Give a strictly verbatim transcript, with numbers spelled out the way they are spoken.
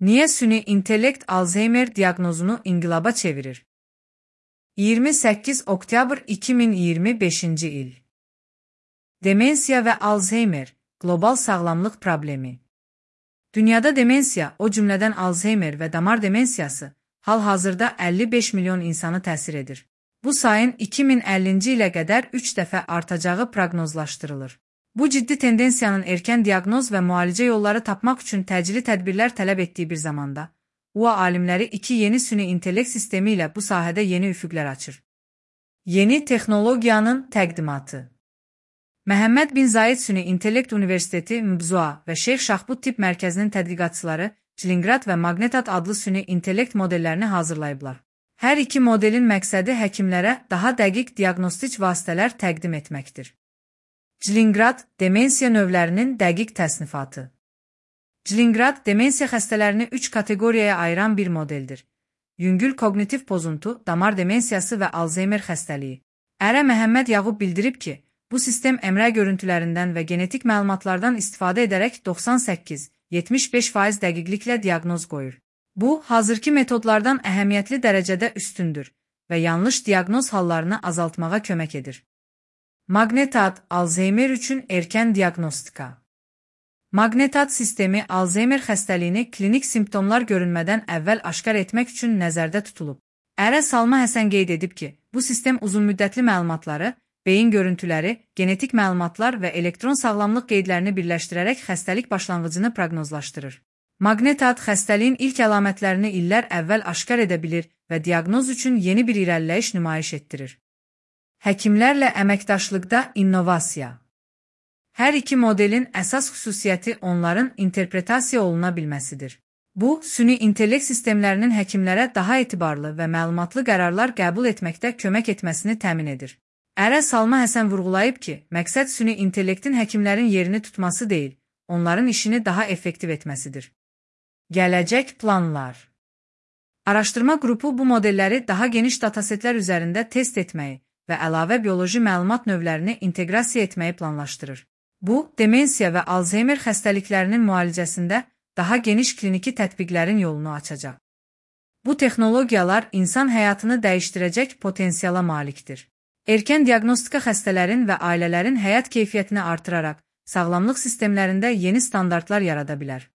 Niye süni intellekt Alzheimer diagnozunu inqilaba çevirir? iyirmi səkkiz oktyabr iki min iyirmi beşinci il. Demensiya və Alzheimer, qlobal sağlamlıq problemi. Dünyada demensiya, o cümlədən Alzheimer və damar demensiyası, hal-hazırda əlli beş milyon insanı təsir edir. Bu sayın iki min əllinci ilə qədər üç dəfə artacağı proqnozlaşdırılır. Bu ciddi tendensiyanın erkən diaqnoz və müalicə yolları tapmaq üçün təcili tədbirlər tələb etdiyi bir zamanda, U A alimləri iki yeni süni intellekt sistemi ilə bu sahədə yeni üfüqlər açır. Yeni texnologiyanın təqdimatı. Məhəmməd bin Zayed Süni İntellekt Universiteti M B Z U A və Şeyx Şahbud Tibb Mərkəzinin tədqiqatçıları Çilinqrat və Magnetat adlı süni intellekt modellərini hazırlayıblar. Hər iki modelin məqsədi həkimlərə daha dəqiq diaqnostik vasitələr təqdim etməkdir. Çilinqrat, demensiya növlərinin dəqiq təsnifatı. Çilinqrat, demensiya xəstələrini üç kateqoriyaya ayıran bir modeldir. Yüngül koqnitiv pozuntu, damar demensiyası və Alzheimer xəstəliyi. Ərə Məhəmməd Yağub bildirib ki, bu sistem əmrə görüntülərindən və genetik məlumatlardan istifadə edərək doxsan səkkiz yetmiş beş faiz dəqiqliklə diaqnoz qoyur. Bu, hazırki metodlardan əhəmiyyətli dərəcədə üstündür və yanlış diaqnoz hallarını azaltmağa kömək edir. Magnetat, Alzheimer üçün erkən diaqnostika. Magnetat sistemi Alzheimer xəstəliyini klinik simptomlar görünmədən əvvəl aşkar etmək üçün nəzərdə tutulub. Ərə Salma Həsən qeyd edib ki, bu sistem uzunmüddətli məlumatları, beyin görüntüləri, genetik məlumatlar və elektron sağlamlıq qeydlərini birləşdirərək xəstəlik başlanğıcını proqnozlaşdırır. Magnetat xəstəliyin ilk əlamətlərini illər əvvəl aşkar edə bilir və diaqnoz üçün yeni bir irəliləyiş nümayiş etdirir. Həkimlərlə əməkdaşlıqda innovasiya. Hər iki modelin əsas xüsusiyyəti onların interpretasiya oluna bilməsidir. Bu, süni intellekt sistemlərinin həkimlərə daha etibarlı və məlumatlı qərarlar qəbul etməkdə kömək etməsini təmin edir. Ərə Salma Həsən vurğulayıb ki, məqsəd süni intellektin həkimlərin yerini tutması deyil, onların işini daha effektiv etməsidir. Gələcək planlar. Araşdırma qrupu bu modelləri daha geniş datasetlər üzərində test etməyi və əlavə bioloji məlumat növlərini inteqrasiya etməyi planlaşdırır. Bu, demensiya və Alzheimer xəstəliklərinin müalicəsində daha geniş kliniki tətbiqlərin yolunu açacaq. Bu texnologiyalar insan həyatını dəyişdirəcək potensiala malikdir. Erkən diaqnostika xəstələrin və ailələrin həyat keyfiyyətini artıraraq, sağlamlıq sistemlərində yeni standartlar yarada bilər.